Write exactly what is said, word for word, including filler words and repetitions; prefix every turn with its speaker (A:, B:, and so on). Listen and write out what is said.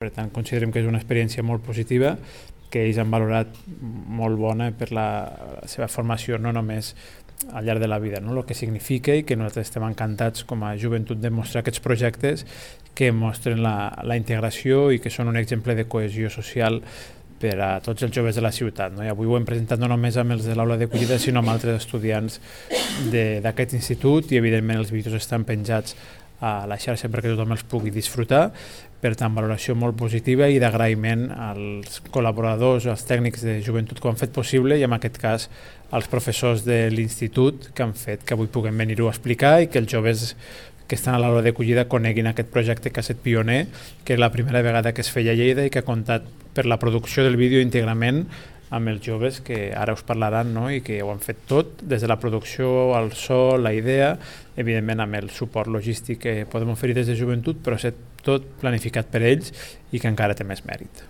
A: Per tant, considerem que és una experiència molt positiva, que ells han valorat molt bona per la, la seva formació, no només al llarg de la vida, no? El que significa, i que nosaltres estem encantats com a joventut de mostrar aquests projectes que mostren la, la integració i que són un exemple de cohesió social per a tots els joves de la ciutat, no? I avui ho hem presentat no només amb els de l'aula d'acollida, sinó amb altres estudiants d'aquest institut, i evidentment els vídeos estan penjats a la xarxa perquè tothom els pugui disfrutar. Per tant, valoració molt positiva i d'agraïment als col·laboradors, als tècnics de joventut que ho han fet possible, i en aquest cas als professors de l'institut que han fet que avui puguem venir-ho a explicar i que els joves que estan a l'aula d'acollida coneguin aquest projecte que ha estat pioner, que és la primera vegada que es feia a Lleida i que ha comptat per la producció del vídeo íntegrament amb els joves que ara us parlaran, no? I que ho han fet tot, des de la producció, el so, la idea, evidentment amb el suport logístic que podem oferir des de joventut, però és tot planificat per ells i que encara té més mèrit.